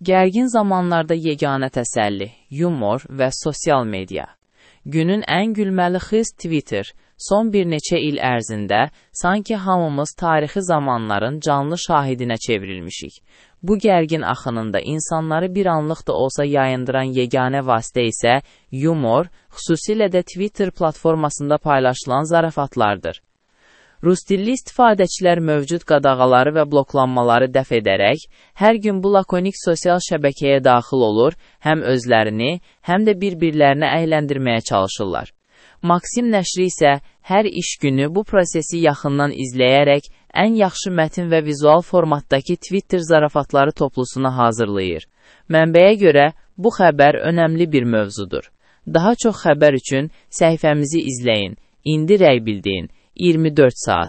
Gərgin zamanlarda yeganə təsəlli, yumor və sosial media. Günün ən gülməli xız Twitter. Son bir neçə il ərzində sanki hamımız tarixi zamanların canlı şahidinə çevrilmişik. Bu gərgin axınında insanları bir anlıq da olsa yayındıran yeganə vasitə isə yumor, xüsusilə də Twitter platformasında paylaşılan zarafatlardır. Rus dilli istifadəçilər mövcud qadağaları və bloklanmaları dəf edərək, hər gün bu lakonik sosial şəbəkəyə daxil olur, həm özlərini, həm də bir-birlərini əyləndirməyə çalışırlar. Maksim nəşri isə hər iş günü bu prosesi yaxından izləyərək ən yaxşı mətin və vizual formatdakı Twitter zarafatları toplusunu hazırlayır. Mənbəyə görə bu xəbər önəmli bir mövzudur. Daha çox xəbər üçün səhifəmizi izləyin. İndi rəy bildirin. 24 saat.